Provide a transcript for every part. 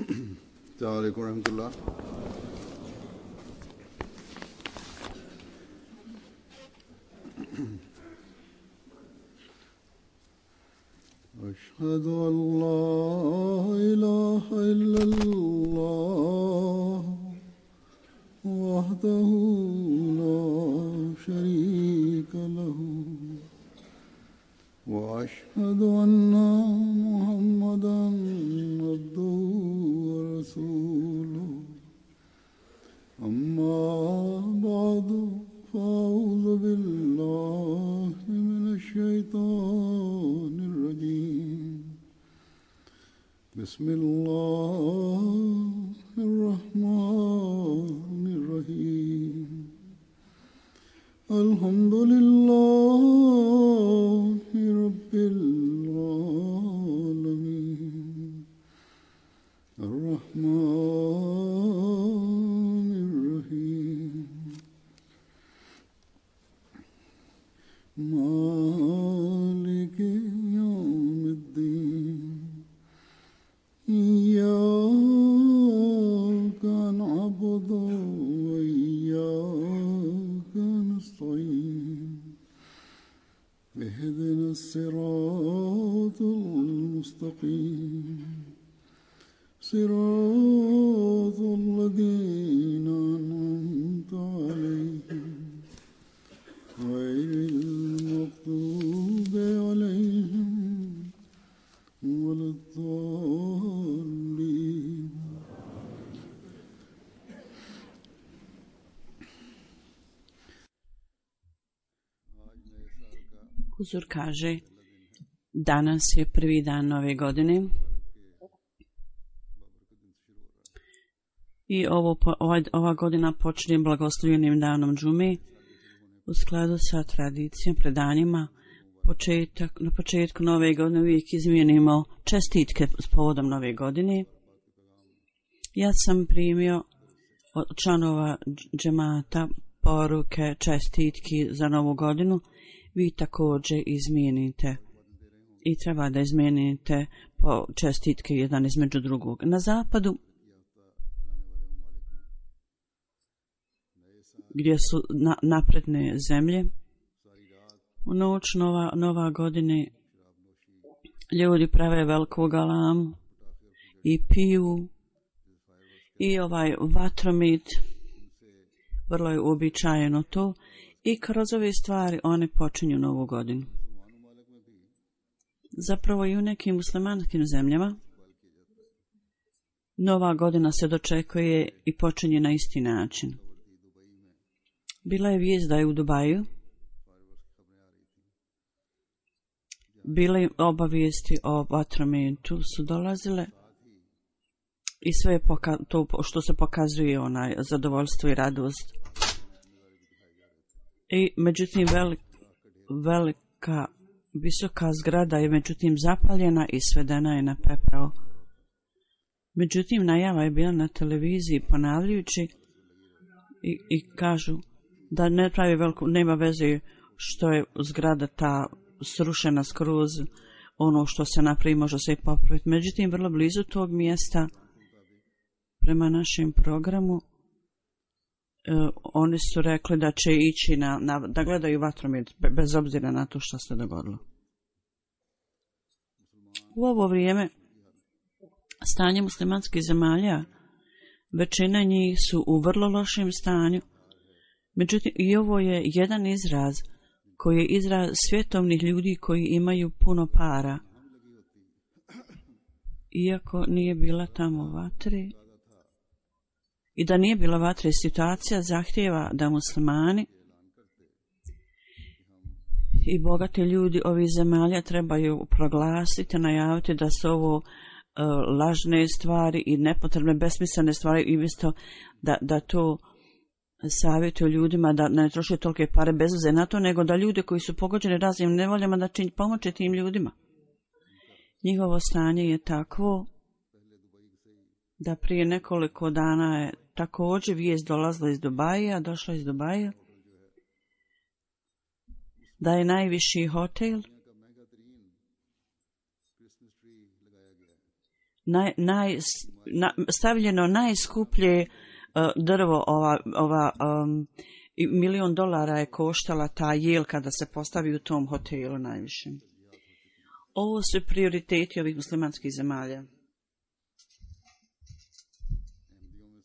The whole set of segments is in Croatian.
السلام عليكم ورحمة الله. أشهد أن لا إله إلا الله وحده لا شريك له وأشهد أن محمدا عبده ورسوله أما بعد فأعوذ بالله من الشيطان الرجيم بسم الله الرحمن الرحيم الحمد لله رب العالمين الرحمن الرحيم مالك يوم الدين إياك نعبد وإياك نستعين اهدنا الصراط المستقيم صراط الذين أنعمت عليهم غير المغضوب عليهم ولا الضالين. Huzur kaže, danas je prvi dan nove godine i ova godina počinje blagoslovljenim danom džume u skladu sa tradicijom, predanjima. Na početku nove godine uvijek izmijenimo čestitke s povodom nove godine. Ja sam primio od članova džemata poruke, čestitki za novu godinu. Vi također izmijenite i treba da izmijenite po čestitke jedan između drugog. Na zapadu, gdje su napredne zemlje, u noć nova godine ljudi prave veliku galamu i piju i vatromit, vrlo je uobičajeno to, i kroz ove stvari one počinju novu godinu. Zapravo i u nekim muslimanskim zemljama nova godina se dočekuje i počinje na isti način. Bila je vijest da je u Dubaju bile obavijesti o vatrometu su dolazile i sve to što se pokazuje zadovoljstvo i radost. I međutim velika visoka zgrada je međutim zapaljena i svedena je na pepeo. Međutim najava je bila na televiziji ponavljajući i kažu da ne pravi nema veze što je zgrada ta srušena skroz, ono što se napravi može se i popraviti. Međutim vrlo blizu tog mjesta prema našem programu oni su rekli da će ići da gledaju vatromet bez obzira na to što se dogodilo. U ovo vrijeme stanje muslimanskih zemalja, većina njih su u vrlo lošem stanju. Međutim, i ovo je jedan izraz koji je izraz svjetovnih ljudi koji imaju puno para. Iako nije bila tamo vatre, i da nije bila vatre, situacija zahtijeva da muslimani i bogati ljudi ovih zemalja trebaju proglasiti, najaviti da su ovo lažne stvari i nepotrebne, besmislene stvari, i umjesto da to savjetuju ljudima da ne troše tolike pare bez veze na to, nego da ljude koji su pogođeni raznim nevoljama da pomoći tim ljudima. Njihovo stanje je takvo da prije nekoliko dana je također vijest dolazila iz Dubaja, došla iz Dubaja, da je najviši hotel stavljeno najskuplje drvo, $1 milion je koštala ta jelka da se postavi u tom hotelu najviše. Ovo su prioriteti ovih muslimanskih zemalja.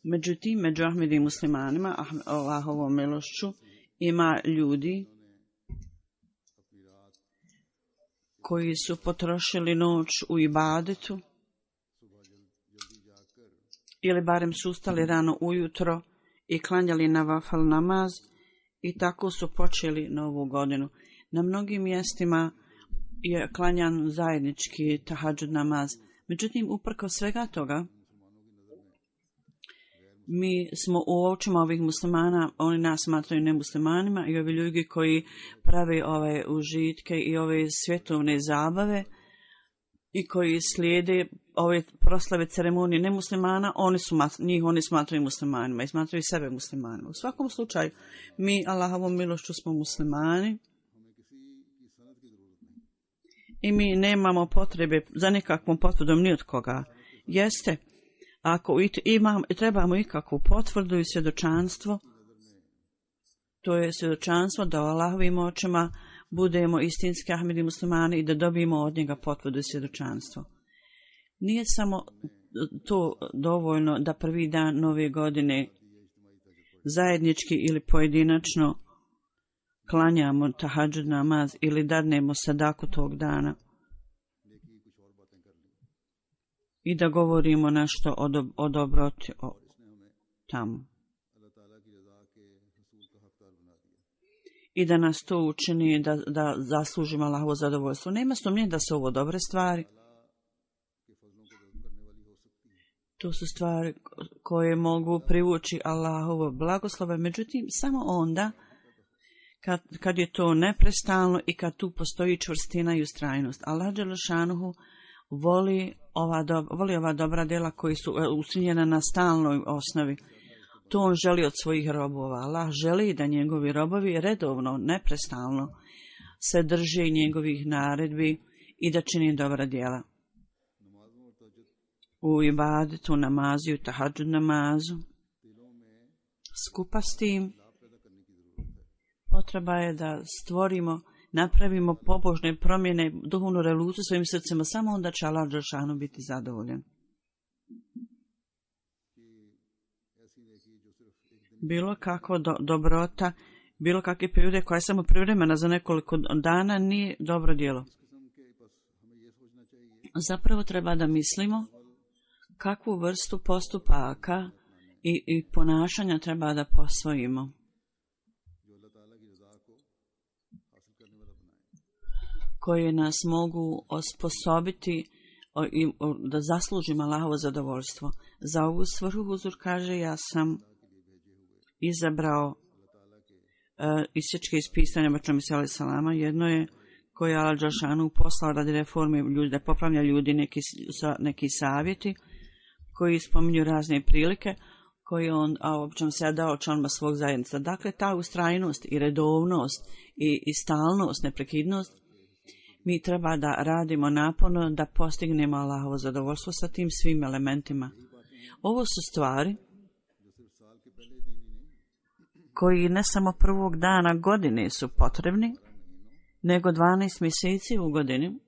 Međutim, među Ahmedi muslimanima, Allahovom milošću, ima ljudi koji su potrošili noć u ibadetu ili barem su ustali rano ujutro i klanjali nafil namaz i tako su počeli novu godinu. Na mnogim mjestima je klanjan zajednički tahadžud namaz. Međutim, uprkos svega toga, mi smo u očima ovih muslimana, oni nas smatraju nemuslimanima i ovi ljudi koji prave ove užitke i ove svjetovne zabave i koji slijede ove proslave ceremonije nemuslimana, oni smatraju muslimanima i smatraju sebe muslimanima. U svakom slučaju, mi Allahovom milošću smo muslimani i mi nemamo potrebe za nikakvom potvrdom ni od koga. Jeste, ako trebamo ikakvu potvrdu i svjedočanstvo, to je svjedočanstvo da u Allahovim očima budemo istinski Ahmedi muslimani i da dobijemo od njega potvrdu i svjedočanstvo. Nije samo to dovoljno da prvi dan nove godine zajednički ili pojedinačno klanjamo tahadžud namaz ili dadnemo sadaku tog dana i da govorimo nešto o dobroti tamo. I da nas to učini da zaslužimo Allahovo zadovoljstvo. Nema sumnje da su ovo dobre stvari. To su stvari koje mogu privući Allahovo blagoslove, međutim samo onda kad je to neprestalno i kad tu postoji čvrstina i ustrajnost. Allah dželešanuhu voli ova dobra djela koji su učinjena na stalnoj osnovi. To on želi od svojih robova. Allah želi da njegovi robovi redovno, neprestalno se drže njegovih naredbi i da čini dobra djela. U ibadetu, namazu, tahadžud namazu. Skupa s tim potreba je da napravimo pobožne promjene, duhovnu revoluciju svojim srcima, samo onda će Allah dželešanu biti zadovoljan. Bilo kakva dobrota, bilo kakve prirode koja je samo privremena za nekoliko dana nije dobro djelo. Zapravo treba da mislimo kakvu vrstu postupaka i ponašanja treba da posvojimo. Koje nas mogu osposobiti da zaslužimo Allahovo zadovoljstvo. Za ovu svrhu Huzur kaže, ja sam izabrao isječke iz pisanja Bača Mesija alejhi selama. Jedno je koje je Allah dželešanu poslao radi reforme ljudi, da popravlja ljudi neki savjeti koji spominju razne prilike koje on obično se dao članima svog zajednica. Dakle, ta ustrajnost i redovnost i stalnost, neprekidnost, mi treba da radimo naporno da postignemo Allahovo zadovoljstvo sa tim svim elementima. Ovo su stvari koji ne samo prvog dana godine su potrebni, nego 12 mjeseci u godini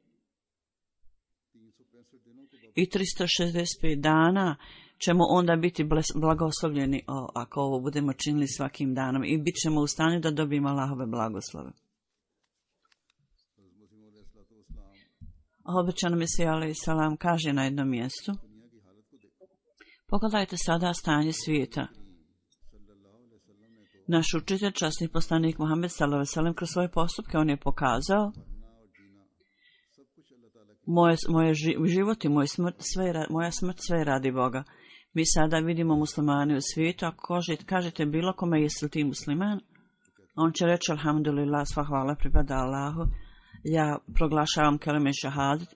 i 365 dana ćemo onda biti blagoslovljeni ako ovo budemo činili svakim danom i bit ćemo u stanju da dobijemo Allahove blagoslove. Obećano Mesija alejhi selam kaže na jednom mjestu: pogledajte sada stanje svijeta. Naš učitelj, časni poslanik Muhammed sallallahu alejhi ve sellem, kroz svoje postupke on je pokazao moje život i moja smrt sve radi Boga. Mi sada vidimo muslimane u svijetu, ako kažete bilo kome jesi li ti musliman, on će reći alhamdulillah, sva hvala pripada Allahu, ja proglašavam kelime šahadet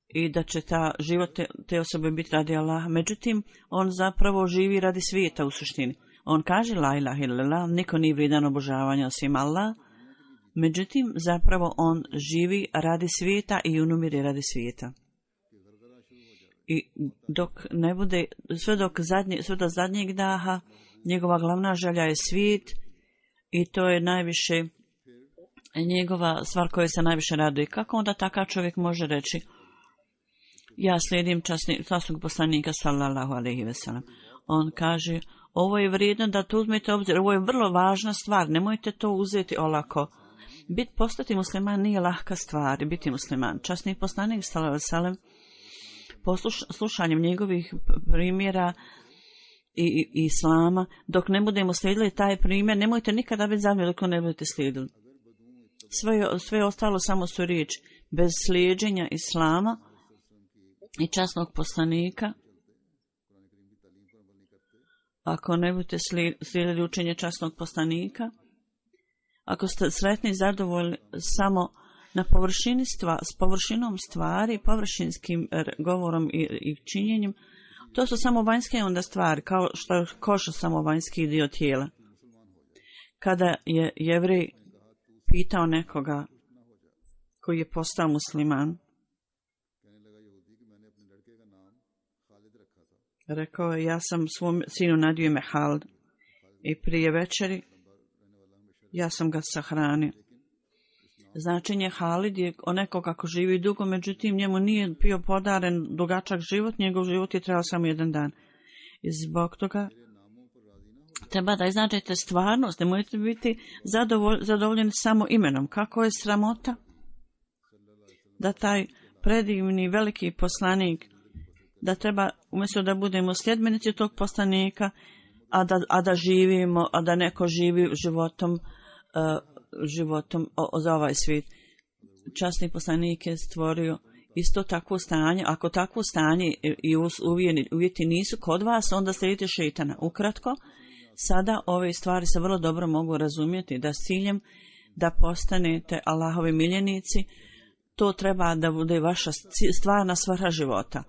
i da će život te osobe biti radi Allaha. Međutim, on zapravo živi radi svijeta u suštini. On kaže la ilaha illallah, niko nije vrijedan obožavanja osim Allah. Međutim, zapravo on živi radi svijeta i umire radi svijeta. I dok ne bude, sve do zadnjeg daha, njegova glavna želja je svijet i to je najviše njegova stvar koja se najviše raduje. Kako onda takav čovjek može reći ja slijedim časnog poslanika sallallahu alejhi ve sellem? On kaže ovo je vrijedno da to uzmete obzir, ovo je vrlo važna stvar, nemojte to uzeti olako. Postati musliman nije lahka stvar, biti musliman. Časni poslanik sallallahu alejhi ve sellem slušanjem njegovih primjera i islama, dok ne budemo slijedili taj primjer, nemojte nikada biti zadovoljni dok ne budete slijedili. Sve ostalo samo su riječi. Bez slijeđenja islama i časnog poslanika, ako ne budete slijedili učenje časnog poslanika, ako ste sretni i zadovoljni samo na površini s površinom stvari, površinskim govorom i činjenjem, to su samo vanjske onda stvari, kao što je koša samo vanjski dio tijela. Kada je Jevrej pitao nekoga koji je postao musliman, rekao je, ja sam svom sinu nadio ime Halid i prije večeri ja sam ga sahranio. Značenje Halid je neko kako živi dugo, međutim njemu nije bio podaren dugačak život, njegov život je trebao samo jedan dan. I zbog toga treba da iznađete stvarnost, ne možete biti zadovoljeni samo imenom. Kako je sramota da taj predivni veliki poslanik, da treba umjesto da budemo sljedbenici tog poslanika, a da živimo, a da neko živi životom za ovaj svijet. Časni poslanik je stvorio isto takvo stanje. Ako takvo stanje i uvjeti nisu kod vas, onda slijedite šejtana. Ukratko, sada ove stvari se vrlo dobro mogu razumjeti, da s ciljem da postanete Allahovi miljenici, to treba da bude vaša stvarna svrha života.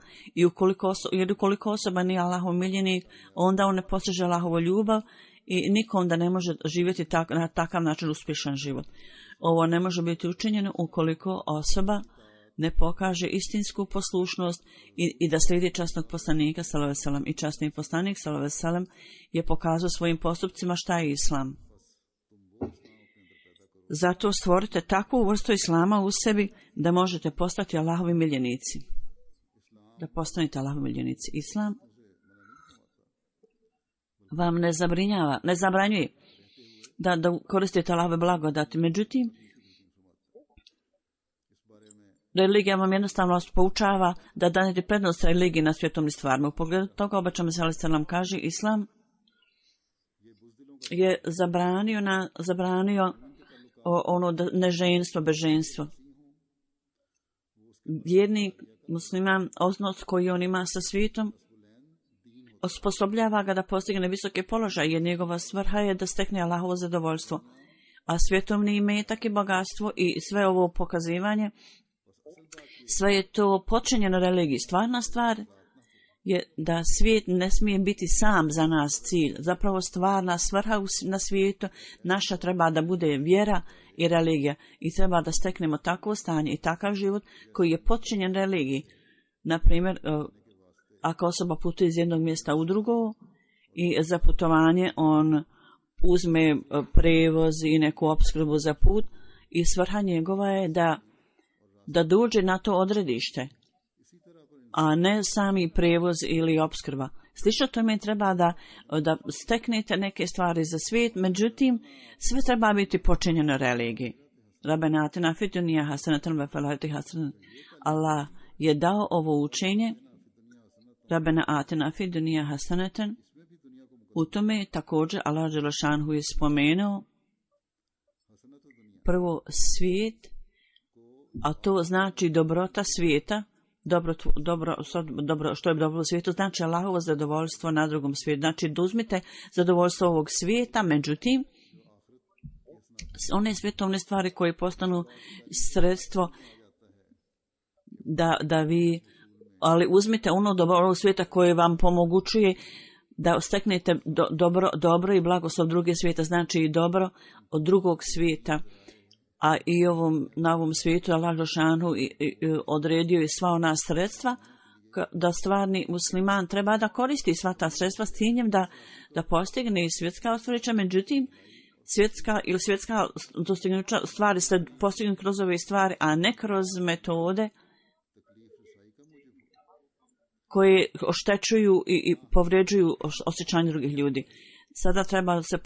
Jer ukoliko osoba nije Allahov miljenik, onda on ne postiže Allahovu ljubav i niko onda ne može živjeti na takav način uspješan život. Ovo ne može biti učinjeno ukoliko osoba ne pokaže istinsku poslušnost i da slijedi časnog poslanika sallallahu alejhi ve sellem. I časni poslanik sallallahu alejhi ve sellem je pokazao svojim postupcima šta je islam. Zato stvorite takvu vrstu islama u sebi da možete postati Allahovi miljenici. Da postanete Allahovi miljenici. Islam vam ne zabranjuje da koristite Allahove blagodati. Međutim, religija vam jednostavno poučava da danete prednost religiji na svjetovnim stvarima. U pogledu toga obećan sallallahu alejhi ve sellem kaže, Islam je zabranio neženstvo, bezženstvo. Vjernik musliman, odnos koji on ima sa svijetom, osposobljava ga da postigne visoke položaje, jer njegova svrha je da stekne Allahovo zadovoljstvo. A svjetovni imetak i bogatstvo i sve ovo pokazivanje, sve je to počinjeno religiji. Stvarna stvar je da svijet ne smije biti sam za nas cilj. Zapravo stvarna svrha na svijetu naša treba da bude vjera i religija. I treba da steknemo takvo stanje i takav život koji je počinjen religiji. Naprimjer, ako osoba putuje iz jednog mjesta u drugo i za putovanje on uzme prevoz i neku opskrbu za put i svrha njegova je da dođe na to odredište, a ne sami prevoz ili opskrba. Slično tome treba da steknete neke stvari za svijet, međutim, sve treba biti počinjeno religiji. Rabbena atina fid dunja hasanatan wa fil ahireti hasanatan. Allah je dao ovo učenje, Rabbena atina fid dunja hasanatan. U tome također Allah dželešanhu je spomenuo prvo svijet, a to znači dobrota svijeta. Dobro, što je dobro u svijetu, znači Allahovo zadovoljstvo na drugom svijetu. Znači, da uzmite zadovoljstvo ovog svijeta, međutim, one svjetovne stvari koje postanu sredstvo da vi, ali uzmite ono dobro ovog svijeta koje vam pomogućuje da steknete dobro i blagoslov druge svijeta, znači i dobro od drugog svijeta. A i na ovom svijetu Allah dželešanu odredio je sva ona sredstva da stvarni musliman treba da koristi sva ta sredstva s ciljem da postigne i svjetska ostvarića, međutim svjetska dostignuća stvari se postignu kroz ove stvari, a ne kroz metode koje oštećuju i povređuju osjećanje drugih ljudi. Sada treba da se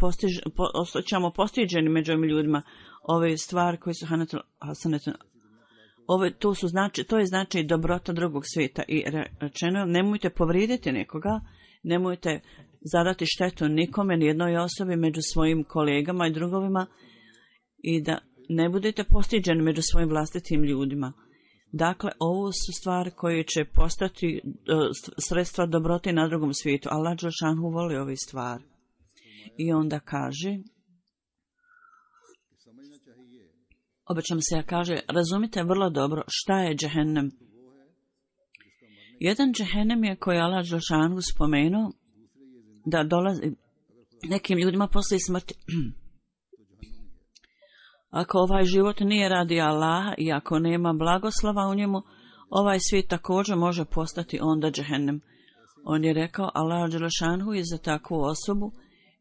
osjećamo postiđeni među ovim ljudima. Ove stvari koje su hasanetu, to je znači dobrota drugog svijeta. I rečeno, nemojte povrijediti nekoga, nemojte zadati štetu nikome, nijednoj osobi među svojim kolegama i drugovima i da ne budete postiđeni među svojim vlastitim ljudima. Dakle, ovo su stvari koje će postati sredstva dobrote na drugom svijetu. Allah dželešanu voli ove stvari. I onda kaže, obično se kaže, razumite vrlo dobro šta je džehennem. Jedan džehennem je koji Allah dželešanu spomenuo da dolazi nekim ljudima poslije smrti. Ako ovaj život nije radi Allaha i ako nema blagoslova u njemu, ovaj svijet također može postati onda džehennem. On je rekao, Allah dželešanu je za takvu osobu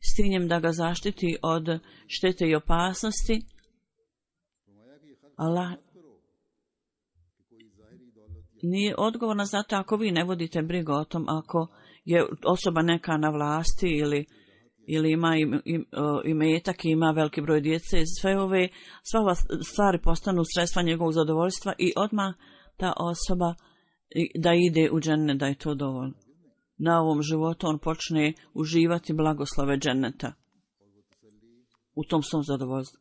s ciljem da ga zaštiti od štete i opasnosti. Allah nije odgovorna za to ako vi ne vodite brigu o tom, ako je osoba neka na vlasti ili ima imetak i ima veliki broj djece, sve ove stvari postanu sredstva njegovog zadovoljstva i odmah ta osoba da ide u džennet, da je to dovoljno. Na ovom životu on počne uživati blagoslove dženneta u tom svom zadovoljstvu.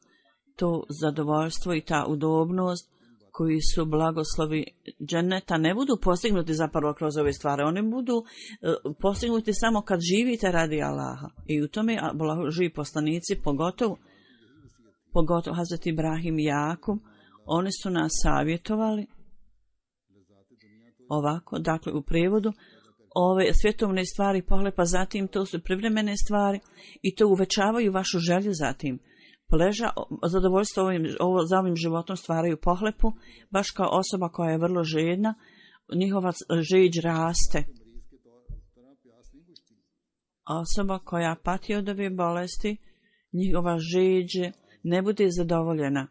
To zadovoljstvo i ta udobnost koji su blagoslovi dženneta ne budu postignuti zapravo kroz ove stvari. Oni budu postignuti samo kad živite radi Allaha. I u tome živi poslanici, pogotovo Hazreti Ibrahim i Jakub, oni su nas savjetovali ovako, dakle u prijevodu, ove svjetovne stvari pohlepa, zatim to su privremene stvari i to uvećavaju vašu želju zatim. Zadovoljstvo za ovim životom stvaraju pohlepu, baš kao osoba koja je vrlo žedna, njihova žeđ raste. Osoba koja pati od ove bolesti, njihova žeđ ne bude zadovoljena,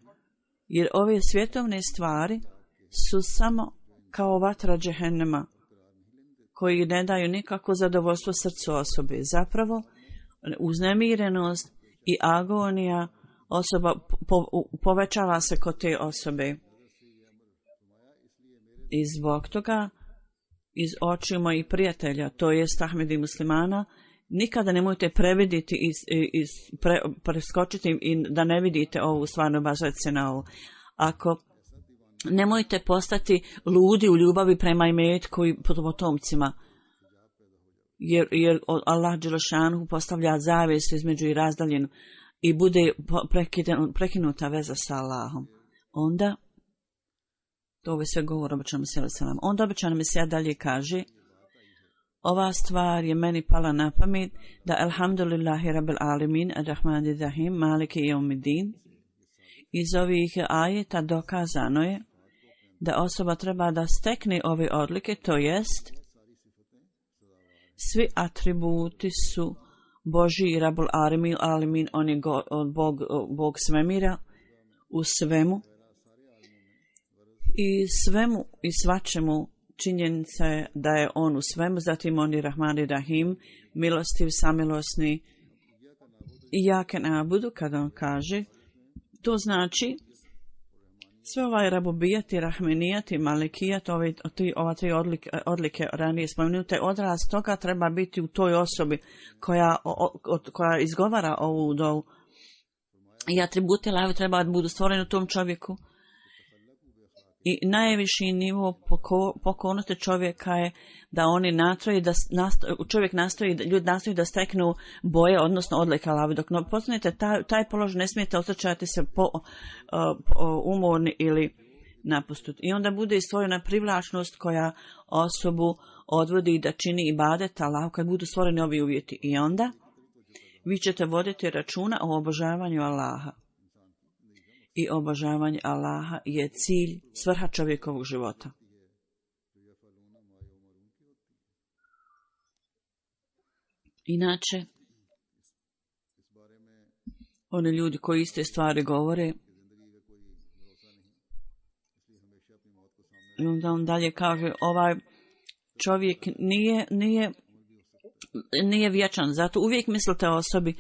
jer ove svjetovne stvari su samo kao vatra džehennema, koji ne daju nikako zadovoljstvo srcu osobe. Zapravo, uznemirenost i agonija osoba povećava se kod te osobe. I zbog toga iz očiju mojih prijatelja, to jest Ahmedi muslimana, nikada nemojte previditi i preskočiti i da ne vidite ovu stvarno bažati se na ovo. Ako nemojte postati ludi u ljubavi prema imetku i potomcima, jer Allah dželešanu postavlja zavjesu između i razdaljenu i bude prekinuta veza sa Allahom. Onda, to ovo sve govor običan Mesija selam. Onda običan Mesija dalje kaže, ova stvar je meni pala na pamet da alhamdulillahi rabbil alimin ar-rahmanir rahim maliki yawmiddin. Iz ovih ajeta dokazano je da osoba treba da stekne ove odlike, to jest svi atributi su Božji i Rabul Alimin, on je Bog svemira u svemu i svemu i svačemu činjenica je da je on u svemu, zatim on je Rahman i Rahim, milostiv, samilosni i jaken abudu, kada on kaže, to znači sve ovaj rabubijat i rahmenijat i malikijat, ova tri odlike ranije spomenute, odraz toga treba biti u toj osobi koja izgovara ovu dovu. I atributi Allahovi treba da budu stvoreni u tom čovjeku. I najviši nivo pokornosti čovjeka je da oni ljudi nastoji da steknu boje, odnosno odlike Allahovi. Dok postanete taj položaj, ne smijete osjećati se umorni ili napustut. I onda bude stvorena privlačnost koja osobu odvodi da čini ibadet Allahu kad budu stvoreni ovi uvjeti. I onda vi ćete voditi računa o obožavanju Allaha. I obožavanje Allaha je cilj, svrha čovjekovog života. Inače, oni ljudi koji iste stvari govore, i onda on dalje kaže, ovaj čovjek nije vječan, zato uvijek mislite o osobi,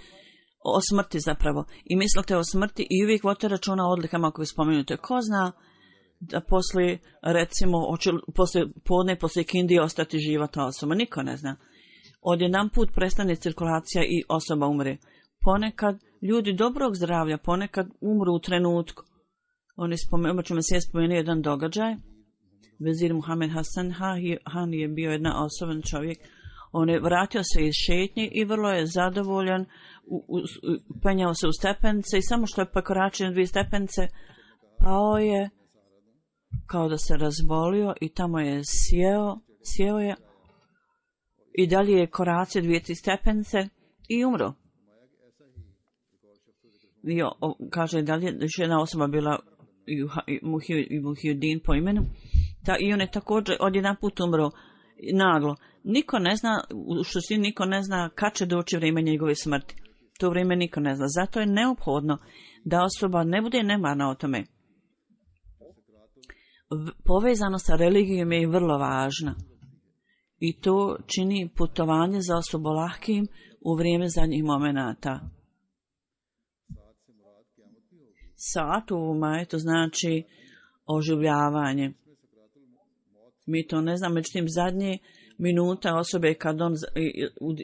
o smrti zapravo, i mislite o smrti i uvijek vodite računa o odlikama koje spomenute. Ko zna da poslije, recimo, poslije podne, poslije kindije ostati živa ta osoba? Niko ne zna. Odjedan put prestane cirkulacija i osoba umre. Ponekad ljudi dobrog zdravlja, ponekad umru u trenutku. Obačno se spomenu jedan događaj. Vezir Muhammed Hasan Han je bio jedna osoban čovjek. On je vratio se iz šetnje i vrlo je zadovoljan, penjao se u stepence i samo što je prekoračio 2 stepence, pao je kao da se razbolio i tamo je sjeo je i dalje je koracio 2 stepence i umro. I kaže dalje, još jedna osoba bila Muhyiddin po imenu, i on je također odjedan put umro naglo. Niko ne zna, u suštini niko ne zna kad će doći vrijeme njegove smrti. To vrijeme niko ne zna. Zato je neophodno da osoba ne bude nemarna o tome. Povezano sa religijom je vrlo važna. I to čini putovanje za osobu lahkim u vrijeme zadnjih momenata. Saat u majetu znači oživljavanje. Mi to ne znamo, međutim zadnje minuta osobe kad on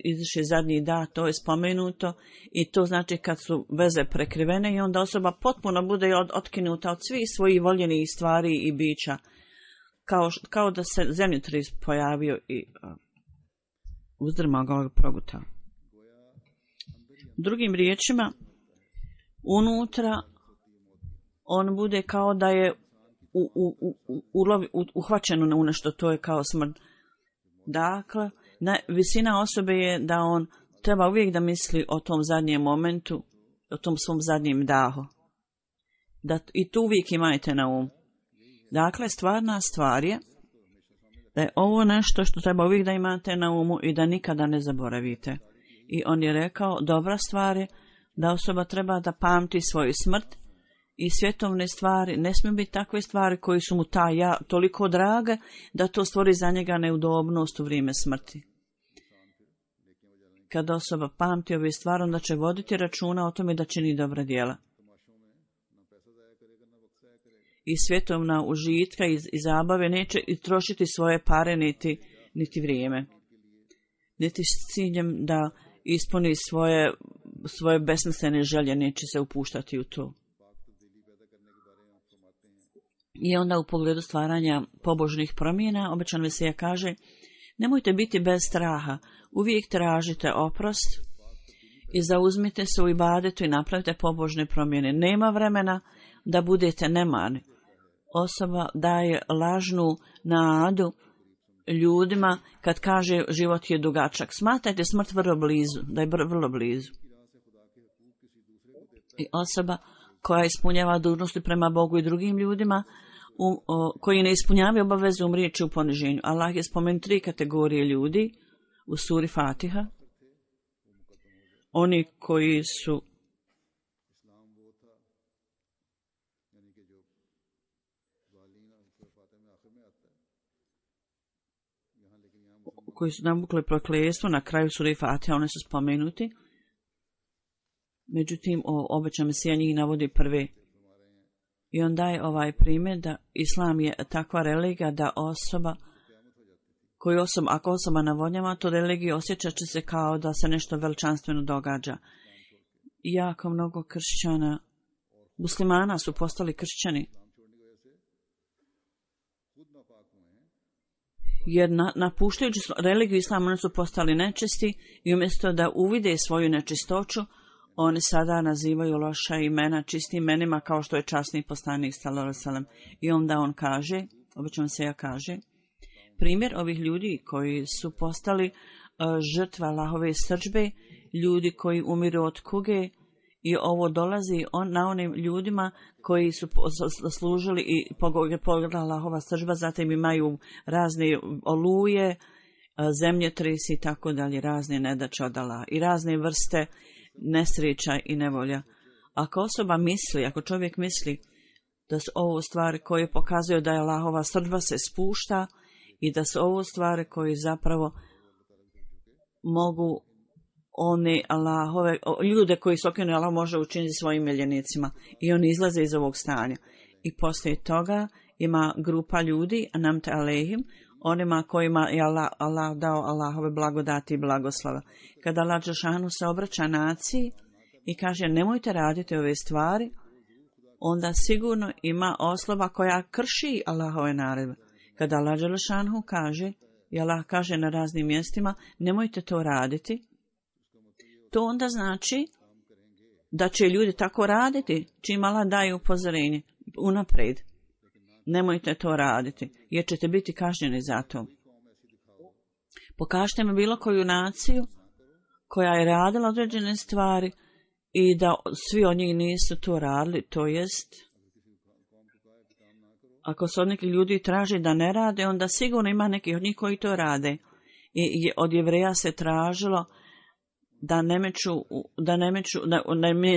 iziše zadnji da, to je spomenuto i to znači kad su veze prekrivene i onda osoba potpuno bude otkinuta od svih svojih voljenih stvari i bića. Kao da se zemljotres pojavio i uzdrmao ga, progutao. Drugim riječima, unutra on bude kao da je uhvaćen u nešto, to je kao smrt. Dakle, visina osobe je da on treba uvijek da misli o tom zadnjem momentu, o tom svom zadnjem dahu. I tu uvijek imajte na umu. Dakle, stvarna stvar je da je ovo nešto što treba uvijek da imate na umu i da nikada ne zaboravite. I on je rekao, dobra stvar je da osoba treba da pamti svoju smrt i svjetovne stvari. Ne smiju biti takve stvari koji su mu toliko drage da to stvori za njega neudobnost u vrijeme smrti. Kada osoba pamti ove stvari, onda će voditi računa o tome da čini dobra djela. I svjetovna užitka i zabave neće i trošiti svoje pare niti vrijeme. Niti s ciljem da ispuni svoje besmislene želje, neće se upuštati u to. I onda u pogledu stvaranja pobožnih promjena, obećan Mesija kaže, nemojte biti bez straha, uvijek tražite oprost i zauzmite se u ibadetu i napravite pobožne promjene. Nema vremena da budete nemarni. Osoba daje lažnu nadu ljudima kad kaže život je dugačak. Smatrajte smrt vrlo blizu, da je vrlo blizu. I osoba koja ispunjava dužnosti prema Bogu i drugim ljudima, koji ne ispunjavaju obavezu umrijeći u poniženju. Allah je spomenuo 3 kategorije ljudi u suri Fatiha. Oni koji su navukli prokletstvo na kraju sure Fatiha, one su spomenuti. Međutim, obećan Mesija njih navodi prve. I on daje ovaj primjer da Islam je takva religija da ako osoba navodnjava to religiju, osjećat će se kao da se nešto veličanstveno događa. Jako mnogo kršćana, muslimana su postali kršćani. Jer napuštajući religiju Islama, oni su postali nečisti i umjesto da uvide svoju nečistoću, oni sada nazivaju loša imena čistim imenima kao što je časni poslanik sallallahu alejhi ve sellem. I onda on kaže, obično se ja kaže, primjer ovih ljudi koji su postali žrtva Allahove srdžbe, ljudi koji umiru od kuge, i ovo dolazi na onim ljudima koji su služili i pogledala Allahova srdžba, zatim imaju razne oluje, zemljotresi i tako dalje, razne nedaće od Allaha i razne vrste nesreća i nevolja. Ako osoba misli, ako čovjek misli da su ovo stvari koje pokazuju da je Allahova srdba se spušta i da su ovo stvari koje zapravo mogu one Allahove, ljude koji su okrenuli Allah može učiniti svojim miljenicima i oni izlaze iz ovog stanja. I poslije toga ima grupa ljudi, anamte alehim, onima kojima je Allah dao Allahove blagodati i blagoslova. Kada Allah dželešanu se obraća naciji i kaže nemojte raditi ove stvari, onda sigurno ima osoba koja krši Allahove naredbe. Kada Allah dželešanu kaže, i Allah kaže na raznim mjestima, nemojte to raditi, to onda znači da će ljudi tako raditi, čim Allah daje upozorenje unaprijed. Nemojte to raditi, jer ćete biti kažnjeni za to. Pokažite mi bilo koju naciju koja je radila određene stvari i da svi od njih nisu to radili, to jest, ako se od nekih ljudi traži da ne rade, onda sigurno ima nekih od njih koji to rade. I od Jevreja se tražilo da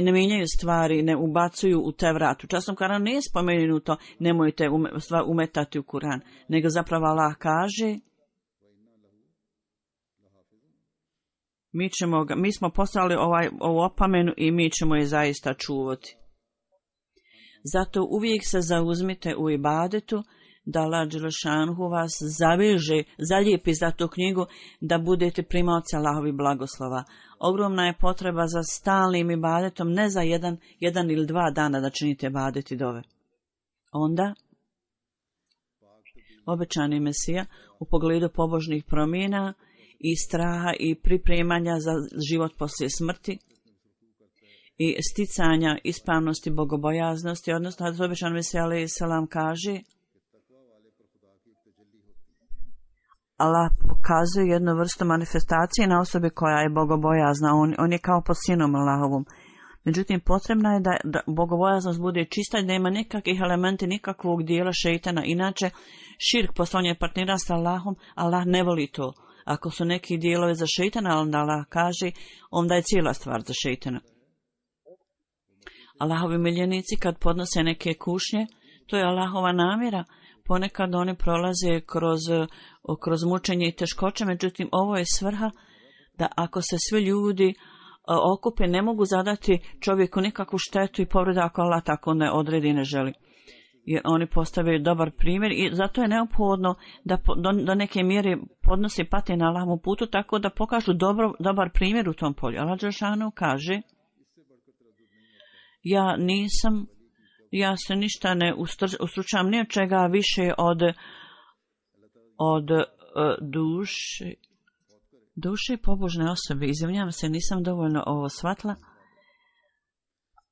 ne mijenjaju stvari, ne ubacuju u Tevrat. U časnom Koranu nije spomenuto nemojte umetati u Kuran, nego zapravo Allah kaže mi smo poslali ovu opomenu i mi ćemo je zaista čuvati. Zato uvijek se zauzmite u ibadetu da Allah dželešanu vas zalijepi za tu knjigu da budete primaoci Allahovih blagoslova. Ogromna je potreba za stalnim ibadetom, ne za jedan ili 2 dana da činite ibadeti dove. Onda obećani Mesija u pogledu pobožnih promjena i straha i pripremanja za život poslije smrti i sticanja ispravnosti bogobojaznosti, odnosno da obećani Mesija alejhi selam kaže Allah pokazuje jednu vrstu manifestacije na osobi koja je bogobojazna. On je kao pod sinom Allahovom. Međutim, potrebno je da bogobojaznost bude čista i da ima nikakvih elementi, nikakvog dijela šeitana. Inače, širk, poslovanje partnera sa Allahom, Allah ne voli to. Ako su neki dijelovi za šeitana, onda Allah kaže, onda je cijela stvar za šeitana. Allahovi miljenici kad podnose neke kušnje, to je Allahova namjera. Ponekad oni prolaze kroz mučenje i teškoće, međutim ovo je svrha da ako se svi ljudi okupe ne mogu zadati čovjeku nikakvu štetu i povredu ako Allah tako ne odredi i ne želi. Jer oni postavljaju dobar primjer i zato je neophodno da do neke mjere podnose pate na Allahovom putu tako da pokažu dobar primjer u tom polju. Allah dželešanu kaže ja se ništa ne ustručavam ni od čega više od duše pobožne osobe. Izvinjavam se, nisam dovoljno ovo shvatila.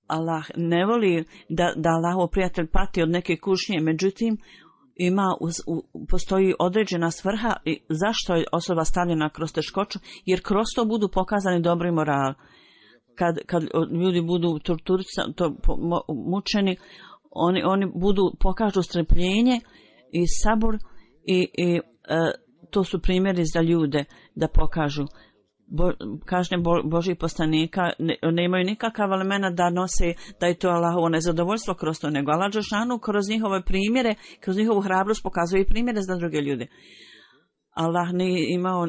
Allah ne voli da Allahov prijatelj pati od neke kušnje, međutim postoji određena svrha zašto je osoba stavljena kroz teškoću, jer kroz to budu pokazani dobri moral. Kad ljudi budu mučeni, oni pokažu strpljenje i sabur i to su primjeri za ljude da pokažu. Kažnje Božih poslanika ne imaju nikakav element da nose da je to Allahovo nezadovoljstvo kroz to, nego Allah dželešanu kroz njihove primjere, kroz njihovu hrabrost pokazuje i primjere za druge ljude. Allah nije imao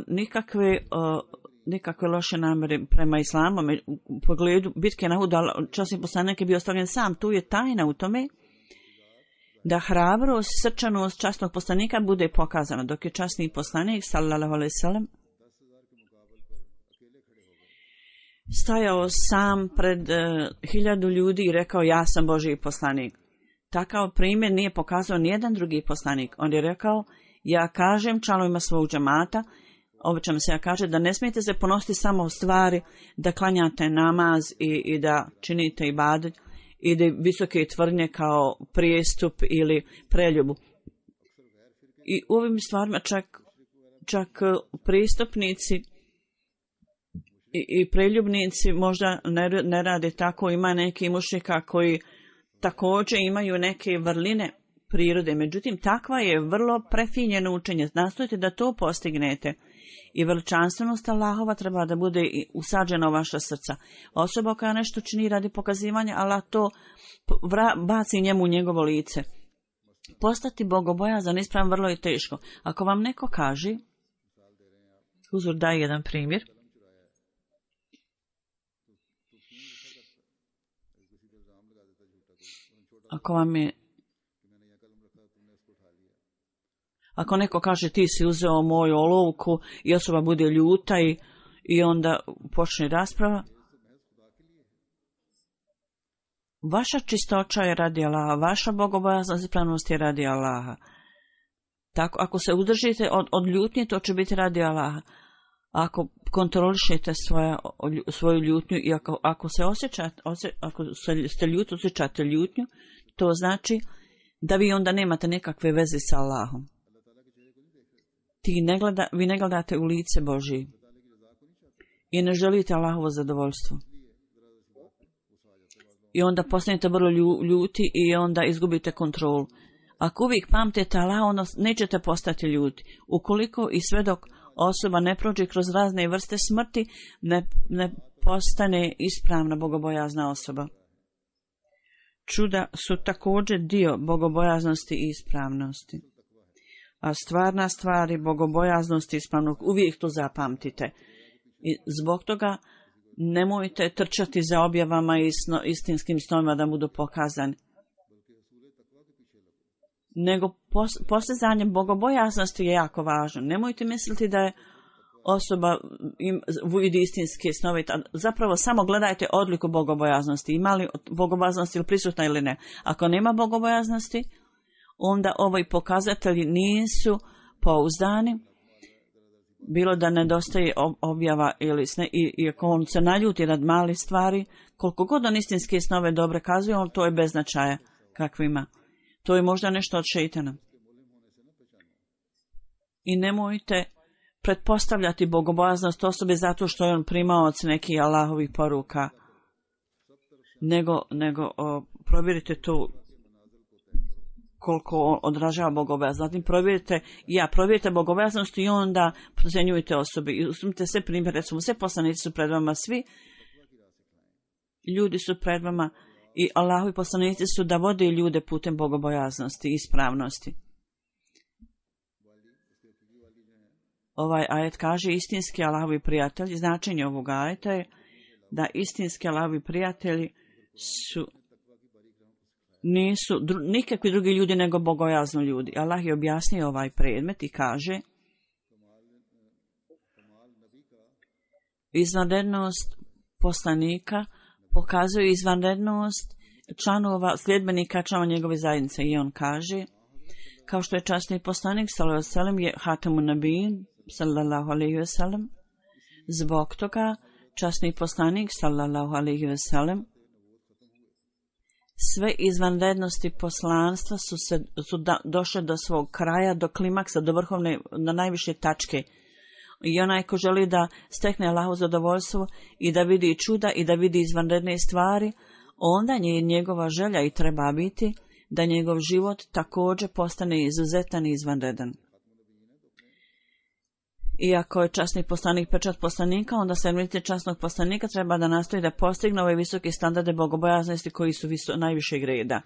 nikakve loše namjere prema islamu. U pogledu bitke na Uhudu, časni poslanik je bio ostavljen sam. Tu je tajna u tome da hrabrost, srčanost časnog poslanika bude pokazana, dok je časni poslanik sallallahu alejhi ve sellem stajao sam pred 1000 ljudi i rekao ja sam Božji poslanik. Takav primjer nije pokazao nijedan drugi poslanik. On je rekao ja kažem članovima svog džemata, obično se kaže da ne smijete se ponositi samo u stvari, da klanjate namaz i da činite ibadet i da visoke tvrdnje kao prijestup ili preljubu. I u ovim stvarima čak pristupnici i preljubnici možda ne rade tako. Ima neki mušrika koji također imaju neke vrline prirode. Međutim, takva je vrlo prefinjeno učenje. Nastojite da to postignete. I veličanstvenost Allahova treba da bude usađena u vaša srca. Osoba koja nešto čini radi pokazivanja, Allah to baci njemu u njegovo lice. Postati bogobojazan ispravan vrlo je teško. Ako vam neko kaže, Huzur daje jedan primjer, ako neko kaže ti si uzeo moju olovku i osoba bude ljuta i onda počne rasprava, vaša čistoća je radi Allaha, vaša bogobojaznost i ispravnost je radi Allaha. Tako, ako se udržite od ljutnje, to će biti radi Allaha. Ako kontrolišete svoju ljutnju i ako ste ljuti, osjećate ljutnju, to znači da vi onda nemate nekakve veze sa Allahom. Vi ne gledate u lice Božije i ne želite Allahovo zadovoljstvo. I onda postanete vrlo ljuti i onda izgubite kontrolu. Ako uvijek pamtite Allaha, onda nećete postati ljuti. Ukoliko i sve dok osoba ne prođe kroz razne vrste smrti, ne postane ispravna bogobojazna osoba. Čuda su također dio bogobojaznosti i ispravnosti. A stvarna stvar je bogobojaznosti i ispravnog. Uvijek to zapamtite. I zbog toga nemojte trčati za objavama i istinskim snovima da budu pokazani. Nego postizanje bogobojaznosti je jako važno. Nemojte misliti da je osoba vidi istinske snove. Zapravo samo gledajte odliku bogobojaznosti. Ima li bogobojaznosti ili prisutna ili ne. Ako nema bogobojaznosti, onda ovi pokazatelji nisu pouzdani. Bilo da nedostaje objava ili sne, i ako on se naljuti rad malih stvari, koliko god on istinske snove dobre kazuje, on to je bez značaja kakvima. To je možda nešto od šeitana. I nemojte pretpostavljati bogobojaznost osobe zato što je on primaoc nekih Allahovih poruka. Nego provjerite to koliko on odražava bogobojaznost. Zatim provjerite bogobojaznost i onda procjenjujte osobe. I uzmite sve primjer, recimo sve poslanici su pred vama, svi ljudi su pred vama i Allahovi poslanici su da vode ljude putem bogobojaznosti i ispravnosti. Ovaj ajet kaže istinski Allahovi prijatelji. Značenje ovog ajeta je da istinski Allahovi prijatelji nisu nikakvi drugi ljudi nego bogojazni ljudi. Allah je objasnio ovaj predmet i kaže izvanrednost poslanika pokazuje izvanrednost članova, sljedbenika članova njegove zajednice. I on kaže, kao što je časni poslanik sallallahu alejhi ve sellem je hatamun nabijin sallallahu alejhi ve sellem, zbog toga časni poslanik sallallahu alejhi ve sellem sve izvanrednosti poslanstva su došle do svog kraja, do klimaksa, do vrhovne, na najviše tačke. I onaj ko želi da stekne Allahovo zadovoljstvo i da vidi čuda i da vidi izvanredne stvari, onda je njegova želja i treba biti da njegov život također postane izuzetan i izvanredan. Iako je časni poslanik pečat poslanika, onda sedmenice časnog poslanika treba da nastoji da postigne ove visoke standarde bogobojaznosti koji su najvišeg reda.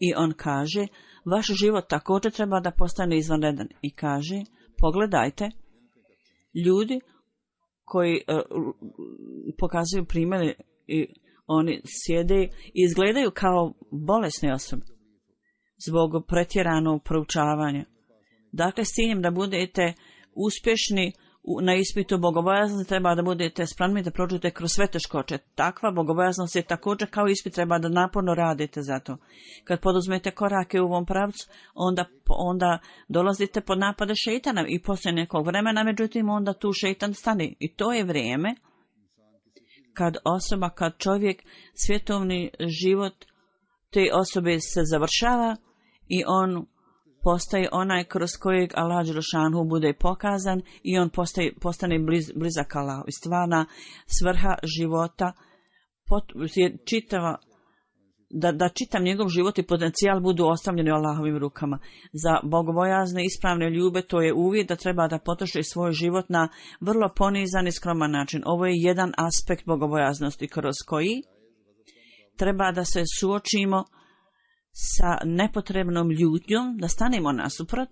I on kaže, vaš život također treba da postane izvanredan. I kaže, pogledajte, ljudi koji pokazuju primjere i oni sjede i izgledaju kao bolesne osobe zbog pretjeranog proučavanja. Dakle, s ciljem da budete uspješni na ispitu bogobojaznosti treba da budete spremni da prođete kroz sve teškoće. Takva bogobojaznost je također kao ispit, treba da naporno radite za to. Kad poduzmete korake u ovom pravcu, onda dolazite pod napade šeitana i poslije nekog vremena, međutim onda tu šeitan stane. I to je vrijeme kad čovjek, svjetovni život te osobe se završava i on postaje onaj kroz kojeg Allah dželešanu bude pokazan i on postane blizak Allahu. I stvarna svrha života je čitava da čitam njegov život i potencijal budu ostavljeni u Allahovim rukama. Za bogobojazne ispravne ljube to je uvjet da treba da potroši svoj život na vrlo ponizan i skroman način. Ovo je jedan aspekt bogobojaznosti kroz koji treba da se suočimo sa nepotrebnom ljutnjom, da stanemo nasuprot.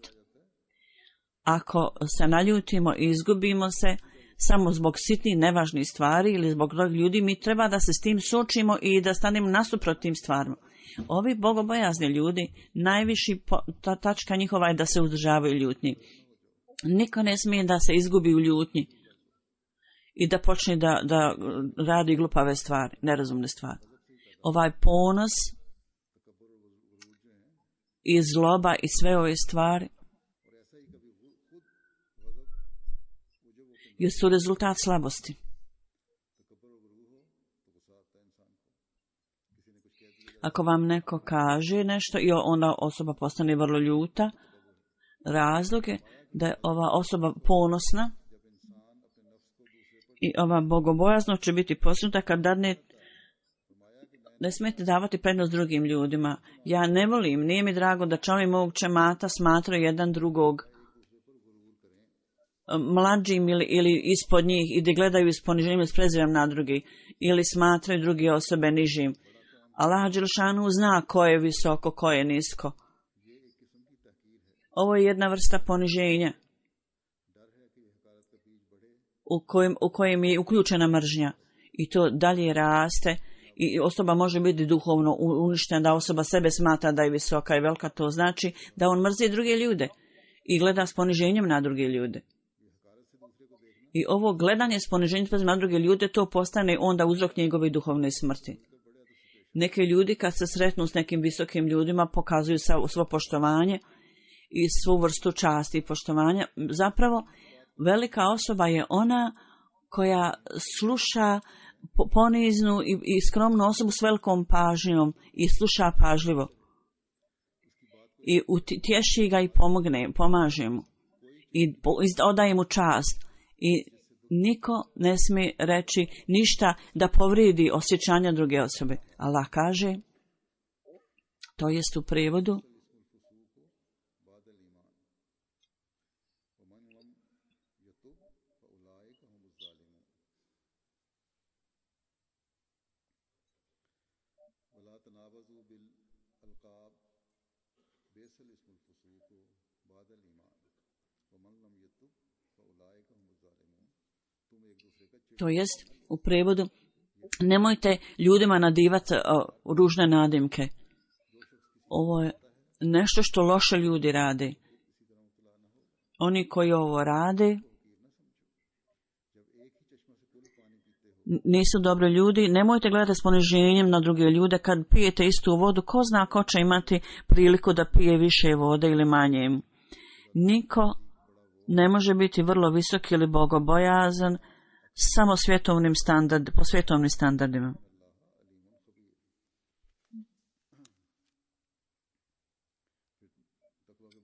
Ako se naljutimo i izgubimo se samo zbog sitnih nevažnih stvari ili zbog drugih ljudi, mi treba da se s tim suočimo i da stanemo nasuprot tim stvarima. Ovi bogobojazni ljudi, najviši tačka njihova je da se uzdržavaju ljutnji. Niko ne smije da se izgubi u ljutnji i da počne da radi glupave stvari, nerazumne stvari. Ovaj ponos i zloba i sve ove stvari su rezultat slabosti. Ako vam neko kaže nešto i onda osoba postane vrlo ljuta, razlog je da je ova osoba ponosna i ova bogobojaznost će biti postignuta kad ne smijete davati prednost drugim ljudima. Ja ne volim, nije mi drago da članovi mog džemata smatraju jedan drugog mlađim ili ispod njih i da gledaju s poniženjem i s prezirom na drugi ili smatraju druge osobe nižim. Allah dželešanu zna ko je visoko, ko je nisko. Ovo je jedna vrsta poniženja u kojem je uključena mržnja i to dalje raste i osoba može biti duhovno uništena, da osoba sebe smatra da je visoka i velika, to znači da on mrzi druge ljude i gleda s poniženjem na druge ljude. I ovo gledanje s poniženjem na druge ljude, to postane onda uzrok njegove duhovne smrti. Neki ljudi kad se sretnu s nekim visokim ljudima pokazuju svo poštovanje i svu vrstu časti i poštovanja. Zapravo, velika osoba je ona koja sluša poniznu i skromnu osobu s velikom pažnjom i sluša pažljivo. I utješi ga i pomaže mu. I odaje mu čast. I niko ne smije reći ništa da povridi osjećanja druge osobe. Allah kaže, to jest u prijevodu, nemojte ljudima nadivati ružne nadimke. Ovo je nešto što loše ljudi rade. Oni koji ovo rade nisu dobri ljudi. Nemojte gledati s poniženjem na druge ljude. Kad pijete istu vodu, ko zna ko će imati priliku da pije više vode ili manje. Niko ne može biti vrlo visok ili bogobojazan samo po svjetovnim standardima.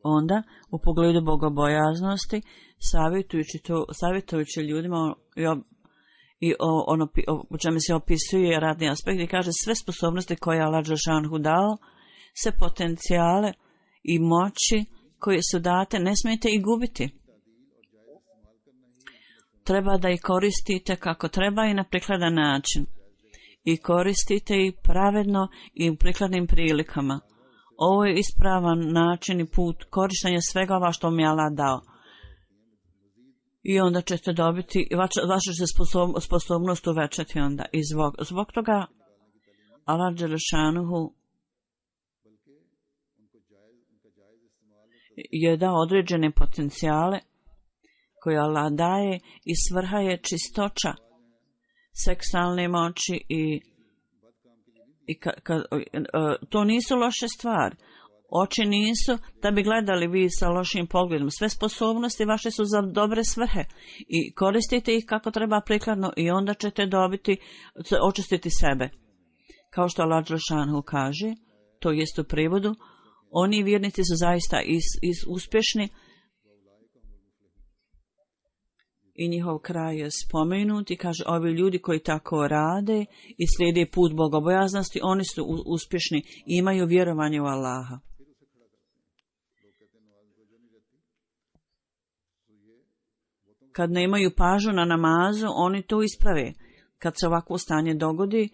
Onda, u pogledu bogobojaznosti, savjetujući ljudima o čemu se opisuje radni aspekt i kaže sve sposobnosti koje je Allah dželešanu dao, sve potencijale i moći koje su date, ne smijete ih gubiti. Treba da ih koristite kako treba i na prikladan način. I koristite ih pravedno i u prikladnim prilikama. Ovo je ispravan način i put korištenja svega ova što mi je Allah dao. I onda ćete dobiti, vaša će sposobnost uvećati onda. I zbog toga Allah dželešanuhu je dao određene potencijale koje Allah daje i svrha je čistoća seksualne moći i to nisu loše stvari. Oči nisu da bi gledali vi sa lošim pogledom. Sve sposobnosti vaše su za dobre svrhe i koristite ih kako treba prikladno i onda ćete očistiti sebe. Kao što Allah dželešanu kaže, to jest u prijevodu, oni vjernici su zaista uspješni i njihov kraj je spomenut i kaže ovi ljudi koji tako rade i slijede put bogobojaznosti, oni su uspješni i imaju vjerovanje u Allaha. Kad nemaju pažnju na namazu, oni to isprave. Kad se ovakvo stanje dogodi,